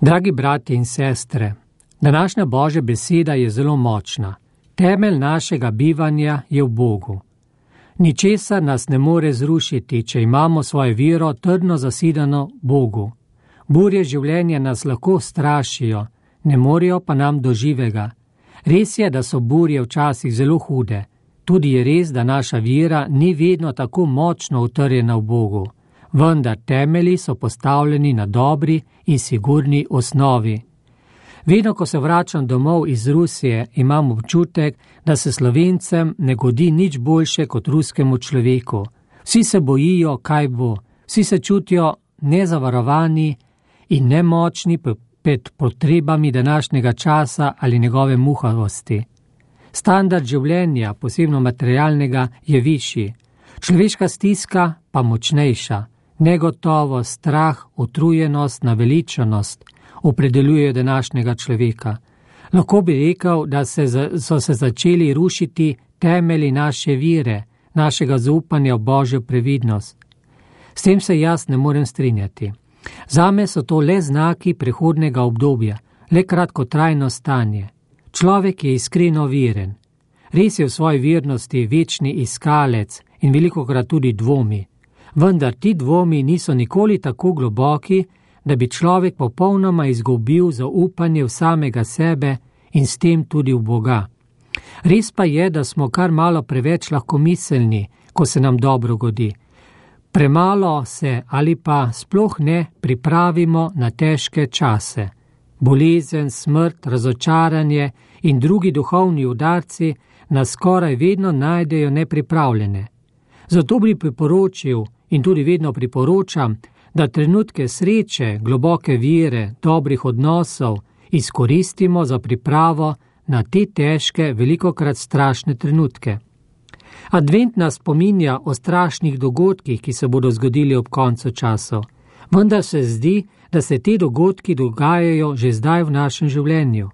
Dragi brati in sestre, današnja Božja beseda je zelo močna. Temelj našega bivanja je v Bogu. Ničesar nas ne more zrušiti, če imamo svojo vero trdno zasidano Bogu. Burje življenja nas lahko strašijo, ne morejo pa nam do živega. Res je, da so burje včasih zelo hude. Tudi je res, da naša vera ni vedno tako močno utrjena v Bogu. Vendar temelji so postavljeni na dobri in sigurni osnovi. Vedno, ko se vračam domov iz Rusije, imam občutek, da se Slovencem ne godi nič boljše kot ruskemu človeku. Vsi se bojijo, kaj bo. Vsi se čutijo nezavarovani in nemočni pred potrebami današnjega časa ali njegove muhavosti. Standard življenja, posebno materialnega, je višji. Človeška stiska pa močnejša. Negotovost, strah, utrujenost, naveličanost opredeljujejo današnjega človeka. Lahko bi rekel, da so se začeli rušiti temelji naše vere, našega zaupanja v Božjo previdnost. S tem se jaz ne morem strinjati. Zame so to le znaki prehodnega obdobja, le kratkotrajno stanje. Človek je iskreno veren. Res je v svoji vernosti večni iskalec in velikokrat tudi dvomi. Vendar ti dvomi niso nikoli tako globoki, da bi človek popolnoma izgubil zaupanje v samega sebe in s tem tudi v Boga. Res pa je, da smo kar malo preveč lahkomiselni, ko se nam dobro godi. Premalo se ali pa sploh ne pripravimo na težke čase. Bolezen, smrt, razočaranje in drugi duhovni udarci nas skoraj vedno najdejo nepripravljene. Zato bi priporočil in tudi vedno priporočam, da trenutke sreče, globoke vere, dobrih odnosov izkoristimo za pripravo na te težke, velikokrat strašne trenutke. Advent nas spominja o strašnih dogodkih, ki se bodo zgodili ob koncu časov. Vendar se zdi, da se te dogodki dogajajo že zdaj v našem življenju.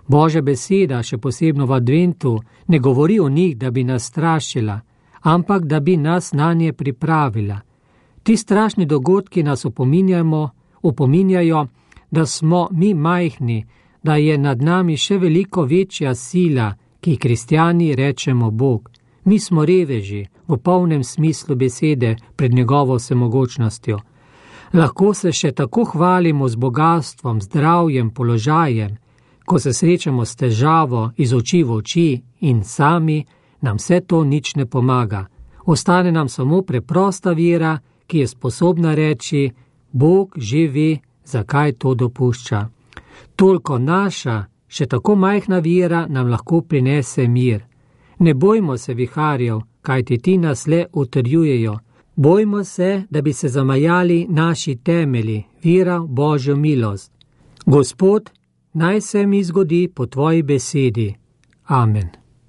Božja beseda, še posebno v Adventu, ne govori o njih, da bi nas strašila, ampak da bi nas nanje pripravila. Ti strašni dogodki nas opominjajo, da smo mi majhni, da je nad nami še veliko večja sila, ki kristjani rečemo Bog. Mi smo reveži, v polnem smislu besede, pred njegovo vsemogočnostjo. Lahko se še tako hvalimo z bogastvom, zdravjem, položajem, ko se srečamo s težavo iz oči v oči in sami, nam vse to nič ne pomaga. Ostane nam samo preprosta vera, ki je sposobna reči, Bog že ve, zakaj to dopušča. Toliko naša, še tako majhna vera nam lahko prinese mir. Ne bojmo se viharjev, kajti ti nas le utrjujejo. Bojmo se, da bi se zamajali naši temelji, vera v Božjo milost. Gospod, naj se mi zgodi po tvoji besedi. Amen.